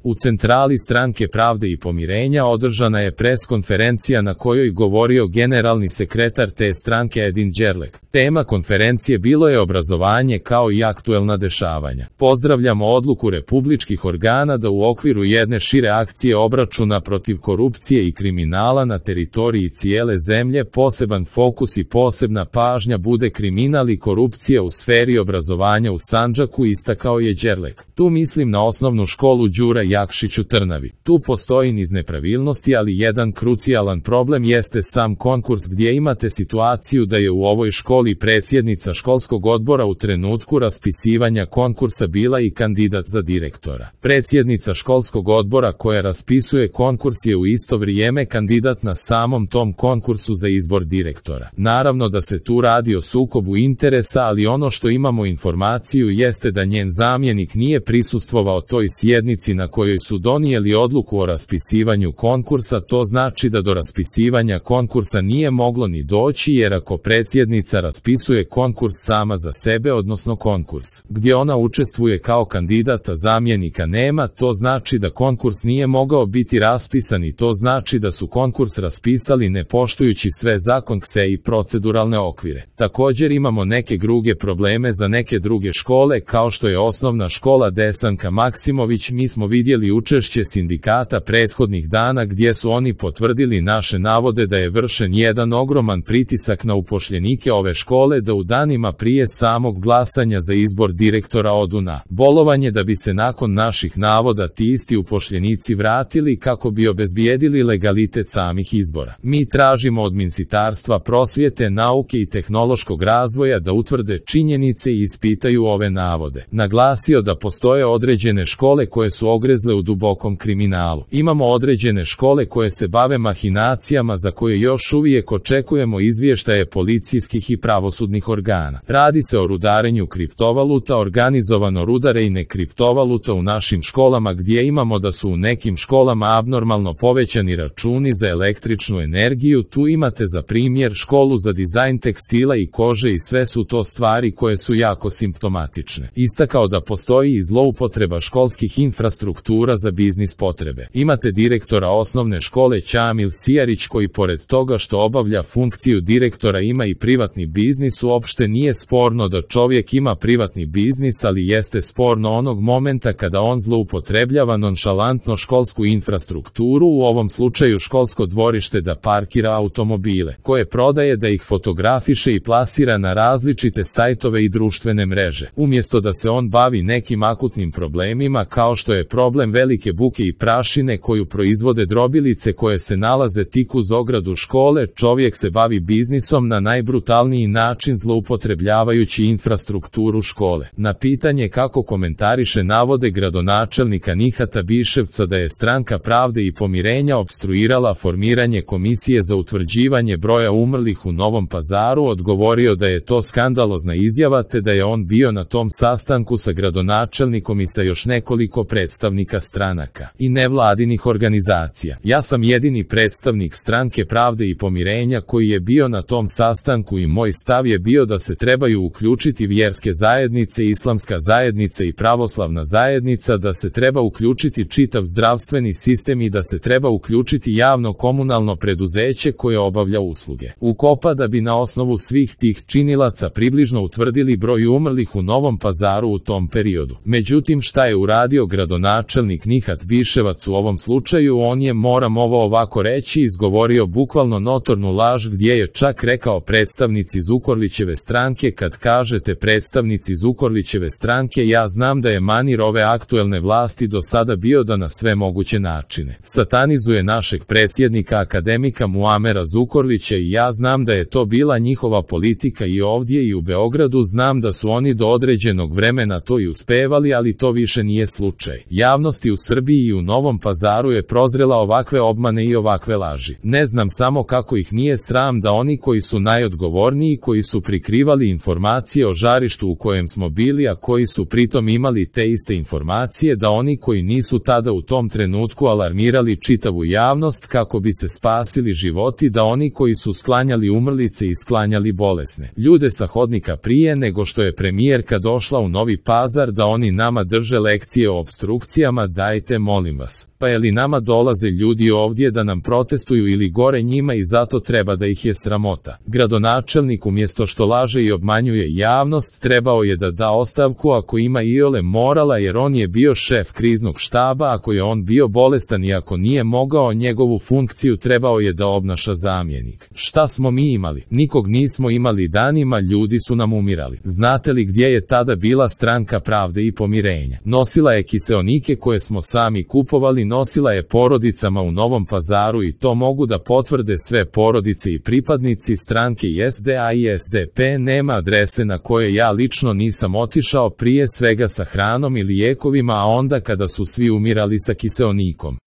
U centrali Stranke pravde i pomirenja održana je preskonferencija na kojoj govorio generalni sekretar te stranke Edin Đerlek. Tema konferencije bilo je obrazovanje kao i aktuelna dešavanja. Pozdravljamo odluku republičkih organa da u okviru jedne šire akcije obračuna protiv korupcije i kriminala na teritoriji cijele zemlje poseban fokus i posebna pažnja bude kriminal i korupcija u sferi obrazovanja u Sandžaku, istakao je Đerlek. Tu mislim na osnovnu školu Đura Jakšić u Trnavi. Tu postoji niz nepravilnosti, ali jedan krucijalan problem jeste sam konkurs, gdje imate situaciju da je u ovoj školi predsjednica školskog odbora u trenutku raspisivanja konkursa bila i kandidat za direktora. Predsjednica školskog odbora koja raspisuje konkurs je u isto vrijeme kandidat na samom tom konkursu za izbor direktora. Naravno da se tu radi o sukobu interesa, ali ono što imamo informaciju jeste da njen zamjenik nije prisustvovao toj sjednici na kojoj su donijeli odluku o raspisivanju konkursa. To znači da do raspisivanja konkursa nije moglo ni doći, jer ako predsjednica raspisuje konkurs sama za sebe, odnosno konkurs gdje ona učestvuje kao kandidata, zamjenika nema, to znači da konkurs nije mogao biti raspisan i to znači da su konkurs raspisali ne poštujući sve zakonske i proceduralne okvire. Također imamo neke druge probleme za neke druge škole, kao što je osnovna škola Desanka Maksimović. Mi smo vidjeli učešće sindikata prethodnih dana gdje su oni potvrdili naše navode da je vršen jedan ogroman pritisak na upošljenike ove škole da u danima prije samog glasanja za izbor direktora odu na bolovanje, da bi se nakon naših navoda ti isti upošljenici vratili kako bi obezbijedili legalitet samih izbora. Mi tražimo od Ministarstva prosvjete, nauke i tehnološkog razvoja da utvrde činjenice i ispitaju ove navode. Naglasio da postoje određene škole koje su ogrezle u dubokom kriminalu. Imamo određene škole koje se bave mahinacijama za koje još uvijek očekujemo izvještaje policijskih i pravosudnih organa. Radi se o rudarenju kriptovaluta, organizovano rudarenje kriptovaluta u našim školama, gdje imamo da su u nekim školama abnormalno povećani računi za električnu energiju. Tu imate za primjer školu za dizajn tekstila i kože i sve su to stvari koje su jako simptomatične. Istakao da postoji i zloupotreba školskih infrastruktura za biznis potrebe. Imate direktora osnovne škole Ćamil Sijarić koji pored toga što obavlja funkciju direktora ima i privatni biznis. Uopšte nije sporno da čovjek ima privatni biznis, ali jeste sporno onog momenta kada on zloupotrebljava nonšalantno školsku infrastrukturu, u ovom slučaju školsko dvorište, da parkira automobile koje prodaje, da ih fotografiše i plasira na različite sajtove i društvene mreže, umjesto da se on bavi nekim akutnim problemima kao što je problem velike buke i prašine koju proizvode drobilice koje se nalaze tik uz ogradu škole. Čovjek se bavi biznisom na najbrutalniji način, zloupotrebljavajući infrastrukturu škole. Na pitanje kako komentariše navode gradonačelnika Nihata Biševca da je Stranka pravde i pomirenja opstruirala formiranje komisije za utvrđivanje broja umrlih u Novom Pazaru, odgovorio da je to skandalozna izjava te da je on bio na tom sastanku sa gradonačelnikom i sa još nekoliko predstavnika stranaka i nevladinih organizacija. Ja sam jedini predstavnik Stranke pravde i pomirenja koji je bio na tom sastanku i moj stav je bio da se trebaju uključiti vjerske zajednice, islamska zajednica i pravoslavna zajednica, da se treba uključiti čitav zdravstveni sistem i da se treba uključiti javno komunalno preduzeće koje obavlja usluge ukopa, da bi na osnovu svih tih činilaca približno utvrdili broj umrlih u Novom Pazaru u tom periodu. Međutim, šta je uradio gradonačelnik Nihat Biševac u ovom slučaju? On je, moram ovo ovako reći, izgovorio bukvalno notornu laž, gdje je čak rekao predstavnici Zukorlićeve stranke. Kad kažete predstavnici Zukorlićeve stranke, ja znam da je manir ove aktuelne vlasti do sada bio da na sve moguće načine satanizuje našeg predsjednika akademika Muamera Zukorlića i ja znam da je to bila njihova politika i ovdje i u Beogradu. Znam da su oni do određenog vremena to i uspevali, ali to više nije slučaj. Javnosti u Srbiji i u Novom Pazaru je prozrela ovakve obmane i ovakve laži. Ne znam samo kako ih nije sram da oni koji su najodgovorniji oni koji su prikrivali informacije o žarištu u kojem smo bili, a koji su pritom imali te iste informacije, da oni koji nisu tada u tom trenutku alarmirali čitavu javnost kako bi se spasili životi, da oni koji su sklanjali umrlice i sklanjali bolesne ljude sa hodnika prije nego što je premijerka došla u Novi Pazar, da oni nama drže lekcije o opstrukcijama. Dajte, molim vas, pa je li nama dolaze ljudi ovdje da nam protestuju ili gore njima i zato treba da ih je sramota? Gradonačelnik umjesto što laže i obmanjuje javnost, trebao je da da ostavku ako ima iole morala, jer on je bio šef kriznog štaba. Ako je on bio bolestan i ako nije mogao, njegovu funkciju trebao je da obnaša zamjenik. Šta smo mi imali? Nikog nismo imali danima, ljudi su nam umirali. Znate li gdje je tada bila Stranka pravde i pomirenja? Nosila je kiseonike koje smo sami kupovali, nosila je porodicama u Novom Pazaru i to mogu da potvrde sve porodice i pripadnici stranke i SDA i SDP. Nema adrese na koje ja lično nisam otišao, prije svega sa hranom i lijekovima, a onda kada su svi umirali sa kiseonikom.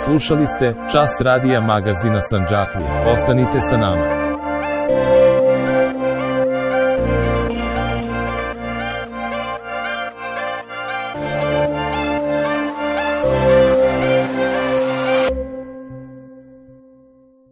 Slušali ste Čas radija magazina Sandžaklija. Ostanite sa nama.